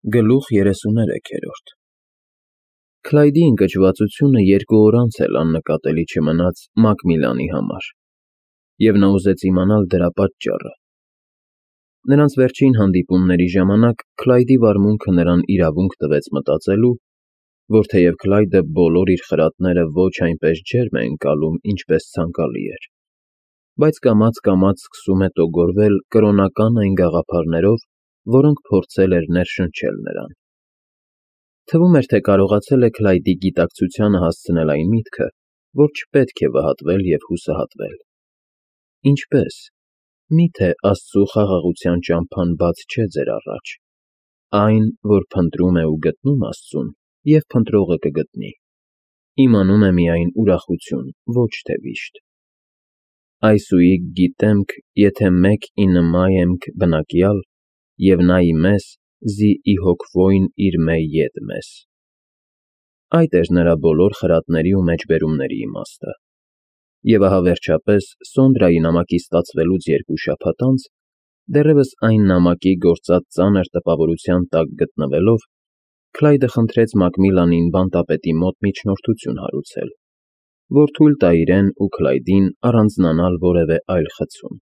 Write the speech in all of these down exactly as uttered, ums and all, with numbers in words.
Գլուխ երեսուներեք։ Քլայդի ընկճվածությունը երկու օր անց էլ աննկատելի չմնաց Մակմիլանի համար, և նա ուզեց իմանալ դրա պատճառը։ Նրանց վերջին հանդիպումների ժամանակ Քլայդի վարմունքը նրան իրավունք տվեց մտածելու, որ թեև Քլայդը բոլոր իր խրատները ոչ այնպես ջերմ է ընկալում, ինչպես ցանկալի էր, բայց կամաց-կամաց սկսում է տոգորվել կրոնական այն գաղափարներով, որոնք փորձել էր ներշնչել նրան։ Թվում էր, թե կարողացել է Քլայդի գիտակցությանը հասցնել այն միտքը, որ չպետք է վհատվել և հուսահատվել։ Ինչպե՞ս։ Մի՞թե Աստծու խաղաղության ճամփան բաց չէ ձեր առաջ, այն, որ փնտրում է ու գտնում Աստծուն, և փնտրողը կգտնի, իմանում է միայն ուրախություն, ոչ թե վիշտ։ Այսուհիկ գիտեմք, եթե մեկ ի նմաեմք բնակյալ, և նա իմես, զի ի հոգվոյն իր մե ետ մես։ Այդ էր նրա բոլոր խրատների ու մեջբերումների իմաստը։ Եվ ահա վերջապես Սոնդրայի նամակից ստացվելուց երկու շաբաթ անց, դեռևս այն նամակի գործած ծանր տպավորության տակ գտնվելով, Քլայդը խնդրեց Մակմիլանին բանտապետի մոտ միջնորդություն հարուցել, որ թույլ տա իրեն ու Քլայդին առանձնանալ որևէ այլ խցում,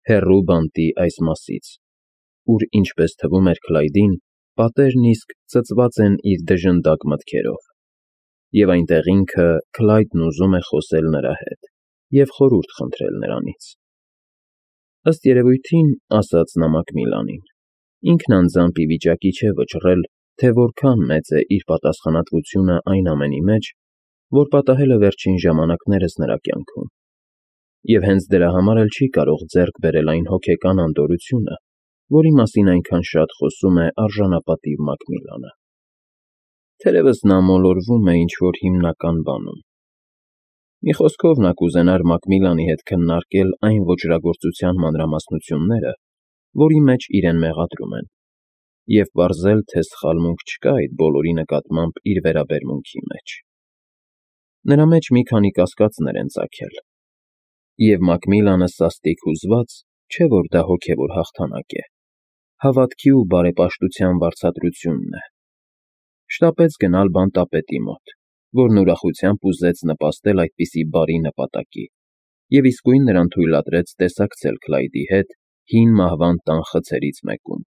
հեռու բանտի այս մասից, ուր, ինչպես թվում էր Քլայդին, պատերն իսկ ծծված են իր դժնդակ մտքերով, և այնտեղ ինքը Քլայդն ուզում է խոսել նրա հետ և խորհուրդ խնդրել նրանից։ Ըստ երևույթին, ասաց նա Մակմիլանին, ինքն անձամբ ի վիճակի չէ վճռել, թե որքան մեծ է իր պատասխանատվությունը այն ամենի մեջ, որ պատահել է վերջին ժամանակներս նրա կյանքում, և հենց դրա համար էլ չի կարող ձեռք բերել այն հոգեկան անդորրությունը, որի մասին այնքան շատ խոսում է արժանապատիվ Մակմիլանը։ Թերևս նա մոլորվում է ինչ-որ հիմնական բանում։ Մի խոսքով, նա կուզենար Մակմիլանի հետ քննարկել այն ոճրագործության մանրամասնությունները, որի մեջ իրեն մեղադրում են, և պարզել, թե սխալմունք չկա այդ բոլորի նկատմամբ իր վերաբերմունքի մեջ։ Նրա մեջ մի քանի կասկածներ են ծագել, և Մակմիլանը սաստիկ հուզված, չէ որ դա հոգևոր հաղթանակ է, հավատքի ու բարեպաշտության վարձատրությունն է։ Շտապեց գնալ բանտապետի մոտ, որն ուրախությամբ ուզեց նպաստել այդպիսի բարի նպատակի, և իսկույն նրան թույլատրեց տեսակցել Քլայդի հետ հին մահվան տան խցերից մեկում,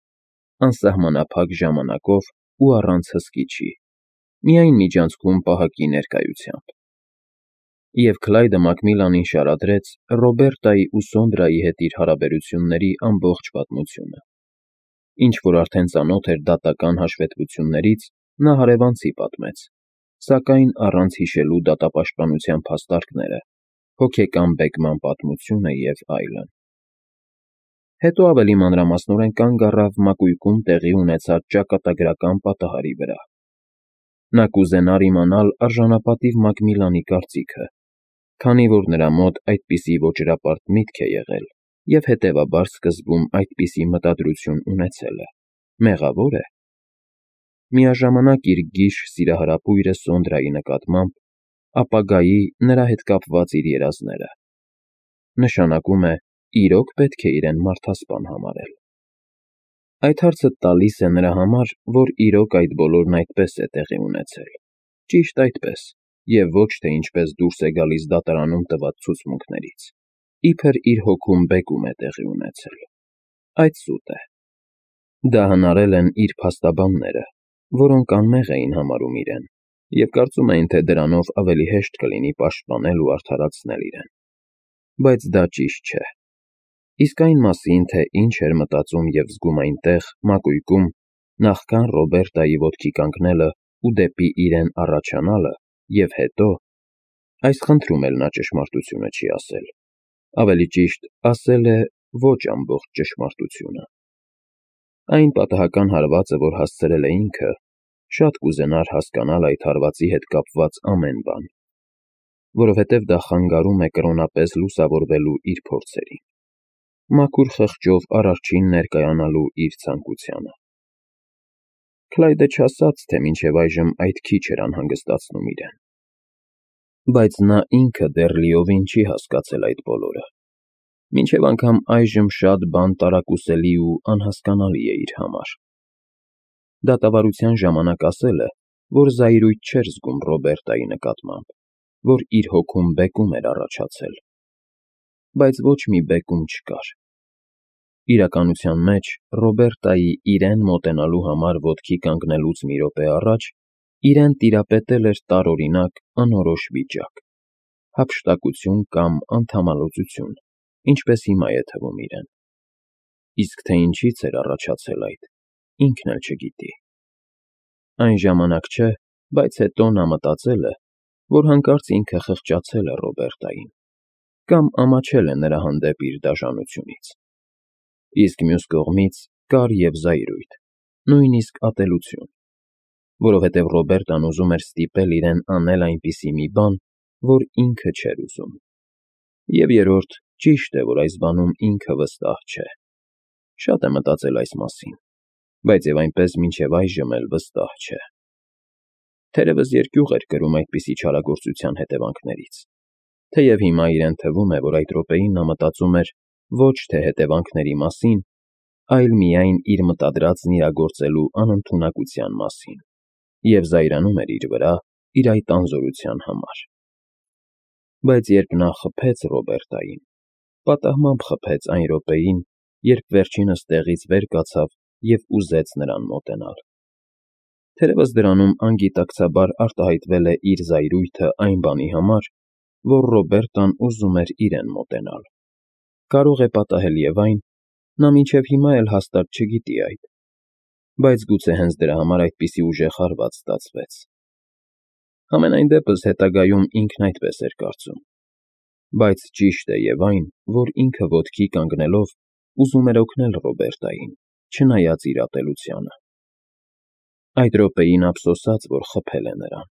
անսահմանափակ ժամանակով ու առանց հսկիչի, միայն միջանցքում պահակի ներկայությամբ։ Եվ Քլայդը Մակմիլանին շարադրեց Ռոբերտայի ու Սոնդրայի հետ իր հարաբերությունների ամբողջ պատմությունը։ Ինչ որ արդեն ծանոթ էր դատական հաշվետվություններից, նա հարևանցի պատմեց, սակայն առանց հիշելու դատապաշտպանության փաստարկները, հոգեկան բեկման պատմությունը և այլն։ Հետո ավելի մանրամասնորեն կանգ առավ Մակույկում տեղի ունեցած ճակատագրական պատահարի վրա։ Նա կուզենար իմանալ արժանապատիվ Մակմիլանի կարծիքը, քանի որ նրա մոտ այդպիսի ոճրապարտ միտք է եղել և հետևաբար սկզբում այդպիսի մտադրություն ունեցել է, մեղավո՞ր է։ Միաժամանակ իր գիժ սիրահարապույրը Սոնդրայի նկատմամբ, ապագայի նրա հետ կապված իր երազները։ Նշանակում է, իրո՞ք պետք է իրեն մարդասպան համարել։ Այդ հարցը տալիս է նրա համար, որ իրոք այդ բոլորն այդպես է տեղի ունեցել, ճիշտ այդպես, և ոչ թե ինչպես դուրս է գալիս դատարանում տված ցուցմունքներից, իբր իր հոգում բեկում է տեղի ունեցել։ Այդ սուտ է։ Դա հնարել են իր փաստաբանները, որոնք անմեղ էին համարում իրեն, և կարծում էին, թե դրանով ավելի հեշտ կլինի պաշտպանել ու արդարացնել իրեն։ Բայց դա ճիշտ չէ։ Իսկ այն մասին, թե ինչ էր մտածում և զգում այնտեղ, Մակույկում, նախքան Ռոբերտայի ոտքի կանգնելը ու դեպի իրեն առաջանալը, և հետո, այս խնդրում էլ նա ճշմարտությունը չի ասել, ավելի ճիշտ, ասել է ոչ ամբողջ ճշմարտությունը։ Այն պատահական հարվածը, որ հասցրել է ինքը, շատ կուզենար հասկանալ այդ հարվածի հետ կապված ամեն բան, որովհետև դա խանգարում է կրոնապես լուսավորվելու իր փորձերին, մաքուր խղճով Արարչին ներկայանալու իր ցանկությանը։ Քլայդը չասաց, թե մինչև այժմ այդ քիչ էր անհանգստացնում իրեն։ Բայց նա ինքը դեռ լիովին չի հասկացել այդ բոլորը, մինչև անգամ այժմ շատ բան տարակուսելի ու անհասկանալի է իր համար։ Դատավարության ժամանակ ասել է, որ զայրույթ չէր զգում Ռոբերտայի նկատմամբ, որ իր հոգում բեկում էր առաջացել, բայց ոչ մի բեկում չկար։ Իրականության մեջ Ռոբերտայի իրեն մոտենալու համար ոտքի կանգնելուց մի րոպե առաջ իրեն տիրապետել էր տարօրինակ անորոշ վիճակ, հափշտակություն կամ անդամալուծություն, ինչպես հիմա է թվում իրեն։ Իսկ թե ինչից էր առաջացել այդ, ինքն էլ չգիտի։ Այն ժամանակ չէ, բայց հետո նա մտածել է, որ հանկարծ ինքը խղճացել է Ռոբերտային կամ ամաչել է նրա հանդեպ իր դաժանությունից։ Իսկ մյուս կողմից կար և զայրույթ, նույնիսկ ատելություն, որովհետև Ռոբերտան ուզում էր ստիպել իրեն անել այնպիսի մի բան, որ ինքը չէր ուզում։ Եվ երրորդ, ճիշտ է, որ այս բանում ինքը վստահ չէ։ Շատ է մտածել այս մասին, բայց և այնպես մինչև այժմ էլ վստահ չէ։ Թերևս երկյուղ էր կրում այդպիսի չարագործության հետևանքներից, թեև հիմա իրեն թվում է, որ այդ րոպեին նա մտածում էր ոչ թե հետևանքների մասին, այլ միայն իր մտադրածն իրագործելու անընդունակության մասին և զայրանում էր իր վրա իր այդ անզորության համար։ Բայց երբ նա խփեց Ռոբերտային, պատահմամբ խփեց այն րոպեին, երբ վերջինս տեղից վեր կացավ և ուզեց նրան մոտենալ։ Թերևս դրանում անգիտակցաբար արտահայտվել է իր զայրույթը այն բանի համար, որ Ռոբերտան ուզում էր իրեն մոտենալ։ Կարող է պատահել և այն, նա մինչև հիմա էլ հաստատ չգիտի այդ, բայց գուցե հենց դրա համար այդպիսի ուժեղ հարված ստացվեց։ Համենայն դեպս հետագայում ինքն այդպես էր կարծում։ Բայց ճիշտ է և այն, որ ինքը ոտքի կանգնելով ուզում էր օգնել Ռոբերտային, չնայած իր ատելությանը։ Այդ րոպեին ափսոսաց, որ խփել է նրան։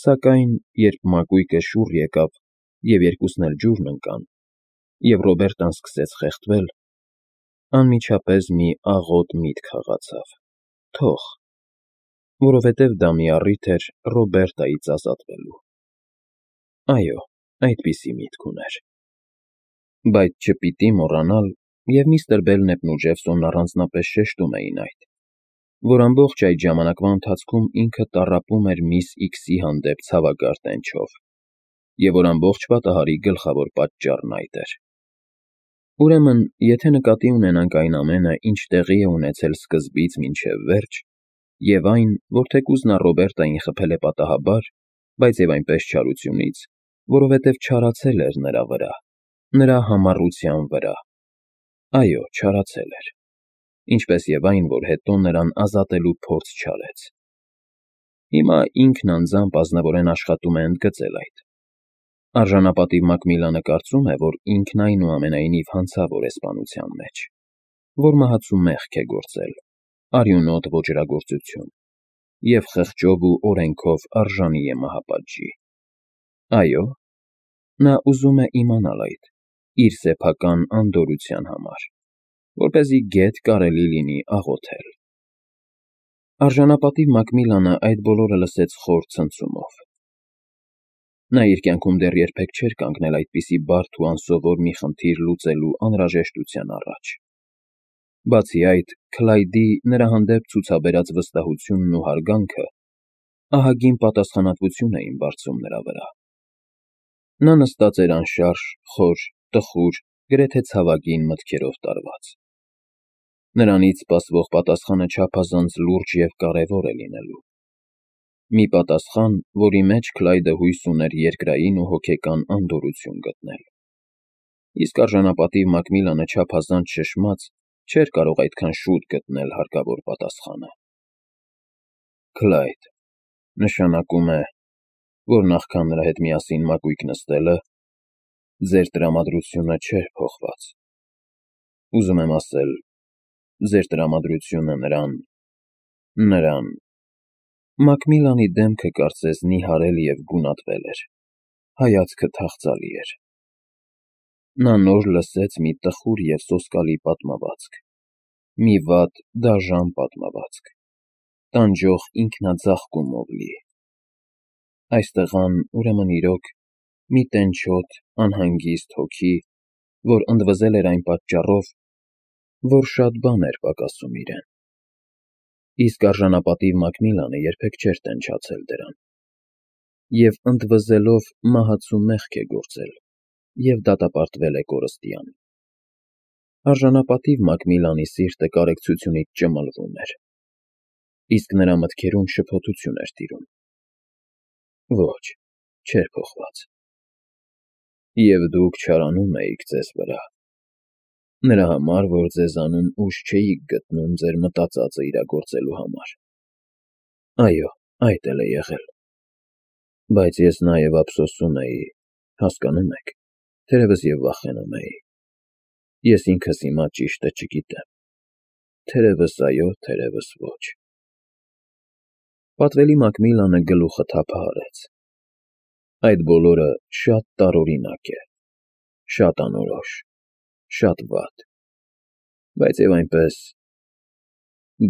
Սակայն երբ մակույկը շուռ եկավ և երկուսն էլ ջուրն ընկան, և Ռոբերտան սկսեց խեղդվել, անմիջապես մի աղոտ միտք հղացավ. թող, որովհետև դա մի առիթ էր Ռոբերտայից ազատվելու։ Այո, այդպիսի միտք ուներ։ Բայց չպիտի մոռանալ, և միստր Բելնեպն ու Ջեֆսոնն առանձնապես շեշտում էին այդ, որ ամբողջ այդ ժամանակվա ընթացքում ինքը տառապում էր միս Իքսի հանդեպ ցավագար տենչով, և որ ամբողջ պատահարի գլխավոր պատճառն այդ էր։ Ուրեմն, եթե նկատի ունենանք այն ամենը, ինչ տեղի է ունեցել սկզբից մինչև վերջ, և այն, որ թեկուզ նա Ռոբերտային խփել է պատահաբար, բայց և այնպես չարությունից, որովհետև չարացել էր նրա վրա, նրա համառության վրա։ Այո, չարացել էր, ինչպես և այն, որ հետո նրան ազատելու փորձ չարեց։ Հիմա ինքն անձամբ ազնվորեն աշխատում է ընդգծել այդ։ Արժանապատիվ Մակմիլանը կարծում է, որ ինքն այնուամենայնիվ հանցավոր է սպանության մեջ, որ մահացու մեղք է գործել, արյունոտ ոճրագործություն և խղճով ու օրենքով արժանի է մահապատժի։ Այո, նա ուզում է իմանալ այդ իր սեփական անդորրության համար, որպեսզի գեթ կարելի լինի աղոթել։ Արժանապատիվ Մակմիլանը այդ բոլորը լսեց խոր ցնցումով։ Նա իր կյանքում դեռ երբեք չէր կանգնել այդպիսի բարդ ու անսովոր մի խնդիր լուծելու անհրաժեշտության առաջ։ Բացի այդ, Քլայդի նրա հանդեպ ցուցաբերած վստահությունն ու հարգանքը ահագին պատասխանատվություն էին բարձում նրա վրա։ Նա նստած էր անշարժ, խոր, տխուր, գրեթե ցավագին մտքերով տարված։ Նրանից սպասվող պատասխանը չափազանց լուրջ և կարևոր է լինելու։ Մի պատասխան, որի մեջ Քլայդը հույս ուներ երկրային ու հոգեկան անդորրություն գտնել։ Իսկ արժանապատիվ Մակմիլանը չափազանց շշմած չէր կարող այդքան շուտ գտնել հարկավոր պատասխանը։ Քլայդ, նշանակում է, որ նախքան նրա հետ միասին մակույկ նստելը, ձեր տրամադրությունը չէր փոխված։ Ուզում եմ ասել, ձեր տրամադրությունը նրան… նրան… Մակմիլանի դեմքը կարծես նիհարել և գունատվել էր, հայացքը թախծալի էր։ Նա նոր լսեց մի տխուր և սոսկալի պատմվածք, մի վատ, դաժան պատմվածք, տանջող ինքնաձաղկումով լի։ Այս տղան, ուրեմն իրոք, մի տենչոտ, անհանգիստ հոգի, որ ընդվզել էր այն պատճառով, որ շատ բան էր պակասում իրեն։ իսկ արժանապատիվ Մակմիլանը երբեք չէր տենչացել դրան, և ընդվզելով մահացու մեղք է գործել և դատապարտվել է կորստյան։ Արժանապատիվ Մակմիլանի սիրտը կարեկցությունից ճմլվում էր, իսկ նրա մտքերում շփոթություն էր տիրում։ Ոչ, չէր փոխված։ Եվ դուք չարանում էիք ձեզ վրա, նրա համար, որ ձեզանում ուժ չէիք գտնում ձեր մտածածը իրագործելու համար։ Այո, այդ էլ է եղել։ Բայց ես նաև ափսոսում էի, հասկանո՞ւմ եք, թերևս և վախենում էի։ Ես ինքս հիմա ճիշտը չգիտեմ, թերևս այո, թերևս ոչ։ Պատվելի Մակմիլանը գլուխը թափահարեց։ Այդ բոլորը շատ տարօրինակ է, շատ անորոշ, շատ վատ, բայց և այնպես…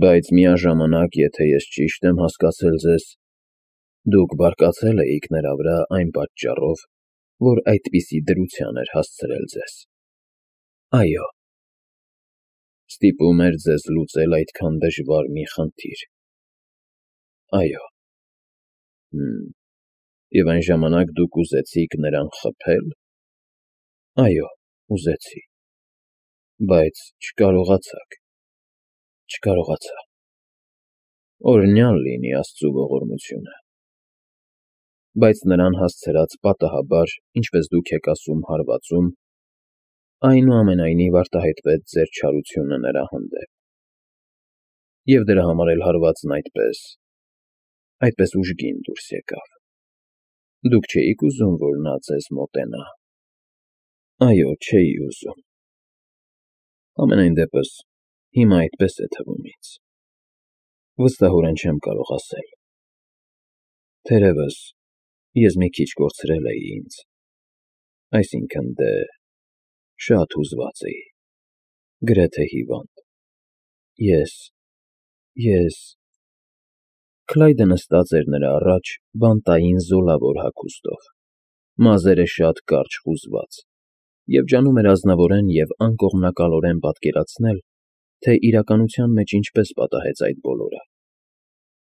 Բայց միաժամանակ, եթե ես ճիշտ եմ հասկացել ձեզ, դուք բարկացել էիք նրա վրա այն պատճառով, որ այդպիսի դրության էր հասցրել ձեզ։ Այո։ Ստիպում էր ձեզ լուծել այդքան դժվար մի խնդիր։ Այո։ Հըմ, և այն ժամանակ դուք ուզեցիք նրան խփե՞լ։ Այո, ուզեցի։ Բայց չկարողացաք, չկարողացա։ Օրհնյալ լինի աստծու ողորմությունը։ Բայց նրան հասցրած պատահաբար, ինչպես դուք եք ասում հարվածում, այնուամենայնիվ արտահայտվեց ձեր չարությունը նրա հանդեպ։ Եվ դրա համար էլ հարվածն այդպես… այդպես ուժգին դուրս եկավ։ Դուք չէի՞ք ուզում, որ նա ձեզ մոտենա։ Այո, չէի ուզում։ Համենայն դեպս, հիմա այդպես է թվում ինձ։ Վստահորեն չեմ կարող ասել։ Թերևս, ես մի քիչ կորցրել էի ինձ, այսինքն՝ դե… շատ հուզված էի, գրեթե հիվանդ։ Ես… ես… Քլայդը նստած էր նրա առաջ բանտային զոլավոր հագուստով, մազերը շատ կարճ խուզված, և ջանում էր ազնվորեն և անկողմնակալորեն պատկերացնել, թե իրականության մեջ ինչպես պատահեց այդ բոլորը,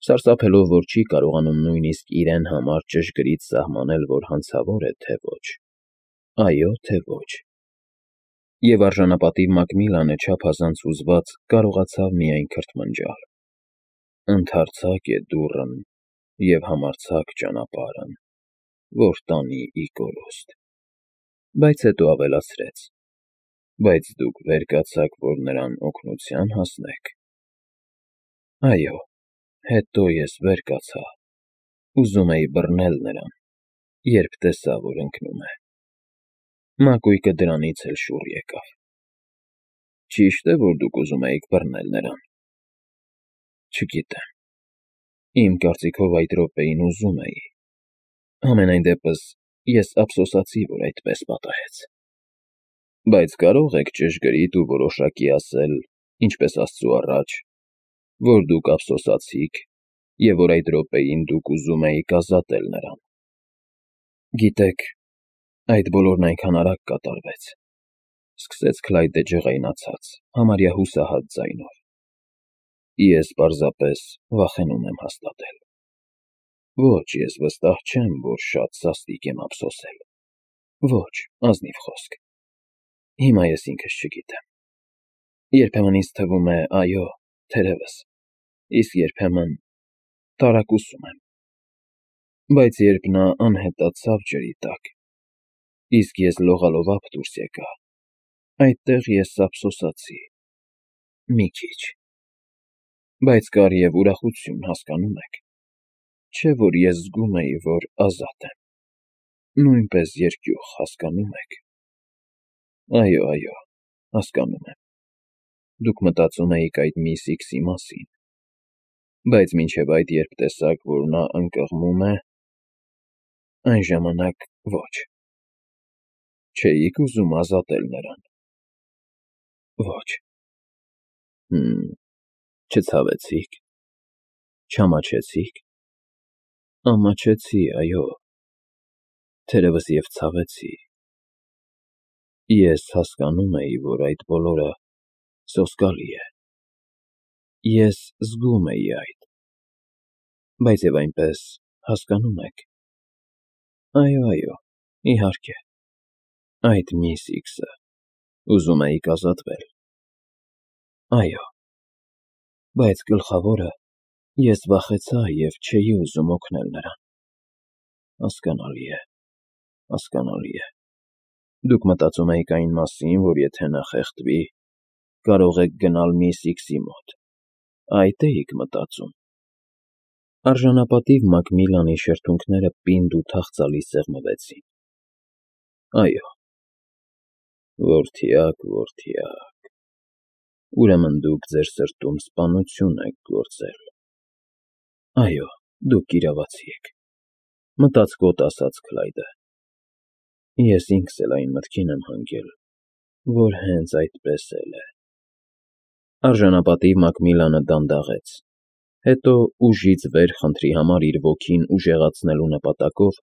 սարսափելով, որ չի կարողանում նույնիսկ իրեն համար ճշգրիտ սահմանել, որ հանցավոր է, թե ոչ, այո, թե ոչ։ Եվ արժանապատիվ Մակմիլանը չափազանց հուզված կարողացավ միայն քրթմնջալ. «Ընդարձակ է դուռն և համարձակ ճանապարհն, որ տանի ի կորուստ»։ Բայց հետո ավելացրեց. «Բայց դուք վեր կացաք, որ նրան օգնության հասնեք»։ Այո, հետո ես վեր կացա, ուզում էի բռնել նրան, երբ տեսա, որ ընկնում է։ Մակույկը դրանից էլ շուռ եկավ։ Ճի՞շտ է, որ դուք ուզում էիք բռնել նրան։ Չգիտեմ։ Իմ կարծիքով այդ րոպեին ուզում էի։ Համենայն դեպս, ես ափսոսացի, որ այդպես պատահեց։ Բայց կարո՞ղ եք ճշգրիտ ու որոշակի ասել, ինչպես Աստծու առաջ, որ դուք ափսոսացիք և որ այդ րոպեին դուք ուզում էիք ազատել նրան։ Գիտեք, այդ բոլորն այնքան արագ կատարվեց,֊ սկսեց Քլայդը ջղայնացած, համարյա հուսահատ ձայնով։ Ես պարզապես վախենում եմ հաստատել։ Ոչ, ես վստահ չեմ, որ շատ սաստիկ եմ ափսոսել։ Ոչ, ազնիվ խոսք։ Հիմա ես ինքս չգիտեմ։ Երբեմն ինձ թվում է, այո, թերևս, իսկ երբեմն տարակուսում եմ։ Բայց երբ նա անհետացավ ջրի տակ, իսկ ես լողալովափ դուրս եկա, այդտեղ ես ափսոսացի… մի քիչ։ Բայց կար և ուրախություն, հասկանո՞մ եք, չէ՞ որ ես զգում էի, որ ազատ եմ, նույնպես երկյուղ, հասկանո՞մ եք։ Այո, այո, հասկանում եմ։ Դուք մտածում էիք այդ միս Իքսի մասին, բայց մինչև այդ, երբ տեսաք, որ նա ընկղմում է… այն ժամանակ ոչ։ Չէի՞ք ուզում ազատել նրան։ Ոչ։ Հըմ, չցավեցի՞ք, չամաչեցի՞ք։ Ամաչեցի, այո, թերևս և ցավեցի։ Ես հասկանում էի, որ այդ բոլորը սոսկալի է։ ես զգում էի այդ, բայց և այնպես, հասկանո՞ւմ եք, այո, այո, իհարկե, այդ միս Իքսը, ուզում էիք ազատվել, այո, բայց գլխավորը, ես վախեցա և չէի ուզում օգնել նրան, հասկանալի է, հասկանալի է, դուք մտածում էիք այն մասին, որ եթե նա խեղդվի, կարող եք գնալ միս Իքսի մոտ, այդ էիք մտածում։ Արժանապատիվ Մակմիլանի շրթունքները պինդ ու թախծալի սեղմվեցին։ Այո, որդյակ, որդյակ, ուրեմն դուք ձեր սրտում սպանություն եք գործել։ Այո, դուք կիրավացի եք, մտածկոտ ասաց Քլայդը։ Ես ինքս էլ այն մտքին եմ հանգել, որ հենց այդպես էլ է։ Արժանապատիվ Մակմիլանը դանդաղեց, հետո ուժից վեր խնդրի համար իր ոգին ուժեղացնելու նպատակով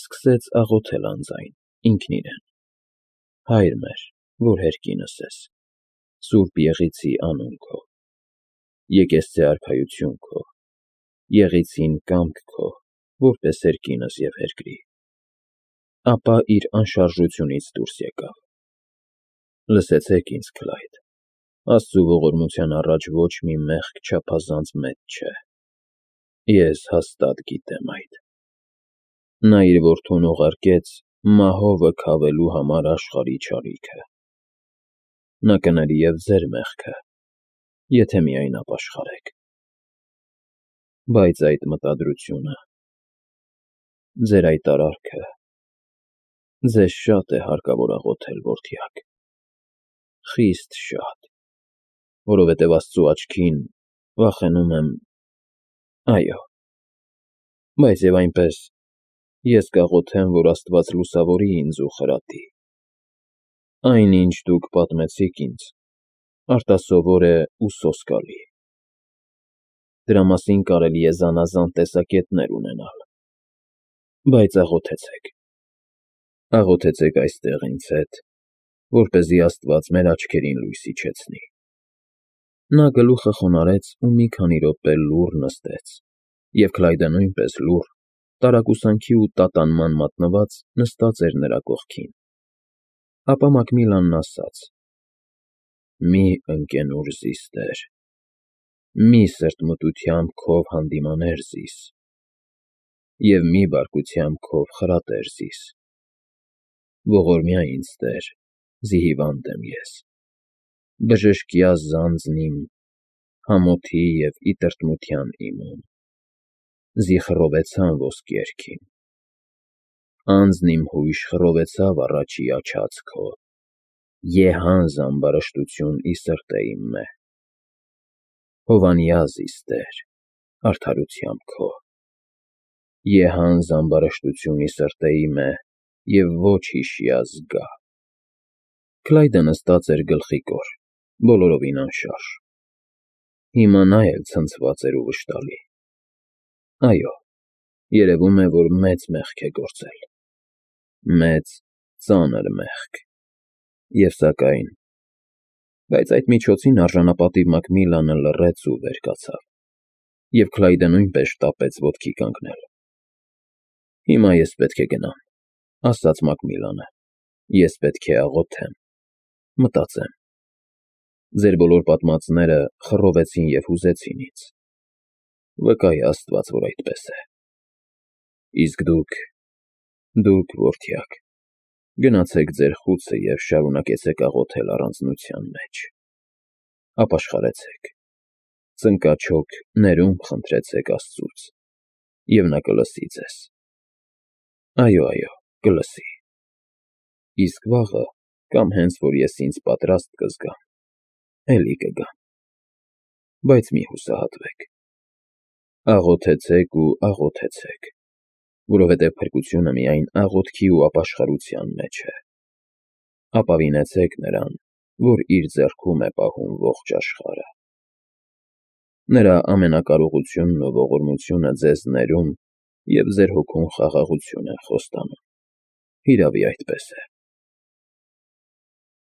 սկսեց աղոթել անձայն, ինքն իրեն. Հայր մեր, որ հերկինս ես, Սուրբ Եղիցի անուն քո, եկեղեցի արքայություն քո, Եղիցին կամք քո, որպես հերկինս և հերկրի, ապա իր անշարժությունից դուրս եկավ։ Լսեցեք ինձ, Քլայդ, Աստծու ողորմության առաջ ոչ մի մեղք չափազանց մեծ չէ։ Ես հաստատ գիտեմ այդ։ Նա իր որդուն ուղարկեց մահովը քավելու համար աշխարհի չարիքը։ Նա կների և ձեր մեղքը, եթե միայն ապաշխարեք։ Բայց այդ մտադրությունը, ձեր այդ արարքը, ձեզ շատ է հարկավոր աղոթել, որդյակ, խիստ շատ, որովհետև Աստծու աչքին, վախենում եմ, այո, բայց և այնպես, ես կաղոթեմ, որ Աստված լուսավորի ինձ ու խրատի։ Այն, ինչ դուք պատմեցիք ինձ, արտասովոր է ու սոսկալի։ Դրա մասին կարելի է զանազան տեսակետներ ունենալ, բայց աղոթեցեք, աղոթեցեք այստեղ ինձ հետ, որպեսզի Աստված մեր աչքերին լույս իջեցնի։ Նա գլուխը խոնարհեց ու մի քանի րոպե լուռ նստեց, և Քլայդը նույնպես լուռ, տարակուսանքի ու տատանման մատնված նստած էր նրա կողքին։ Ապա Մակմիլանն ասաց. Մի ընկենուր զիս, տեր, մի սրտմտությամբ քով հանդիմաներ զիս, և մի բարկությամբ քով խրատեր զիս։ Ողորմյա ինձ, տեր, զի հիվանդ եմ ես, բժշկյա զանձն իմ, համոթի և ի տրտմության իմում, զի խռովեցան ոսկերքին, անձն իմ հույժ խռովեցավ առաջի աչած քո, եհանձ ամբարշտություն ի սրտե իմ մե, հովանյա զիս, տեր, արդարությամբ քո, եհանձ ամբարշտություն ի սրտե իմ է և ոչ հիշյա զգա։ Քլայդը նստած էր գլխիկոր, բոլորովին անշարժ։ Հիմա նա էլ ցնցված էր ու վշտալի։ Այո, երևում է, որ մեծ մեղք է գործել, մեծ, ծանր մեղք, և սակայն… Բայց այդ միջոցին արժանապատիվ Մակմիլանը լռեց ու վեր կացավ, և Քլայդը նույնպես շտապեց ոտքի կանգնել։ Հիմա ես պետք է գնամ, ասաց Մակմիլանը, ես պետք է աղոթեմ, մտածեմ։ Ձեր բոլոր պատմածները խռովեցին և հուզեցին ինձ։ Վկա է Աստված, որ այդպես է։ Իսկ դուք, դուք, որդյակ, գնացեք ձեր խուցը և շարունակեցեք աղոթել առանձնության մեջ։ Ապաշխարեցեք, ծնկաչոք ներում խնդրեցեք Աստծուց, և նա կլսի ձեզ։ Այո, այո, կլսի։ Իսկ վաղը, կամ հենց որ ես ինձ պատրաստ կզգամ, էլի կգամ։ Բայց մի հուսահատվեք։ Աղոթեցեք ու աղոթեցեք, որովհետև փրկությունը միայն աղոթքի ու ապաշխարության մեջ է։ Ապավինեցեք նրան, որ իր ձեռքում է պահում ողջ աշխարհը։ Նրա ամենակարողությունն ու ողորմությունը ձեզ ներում և ձեր հոգուն խաղաղություն են խոստանում։ Հիրավի, այդպես է։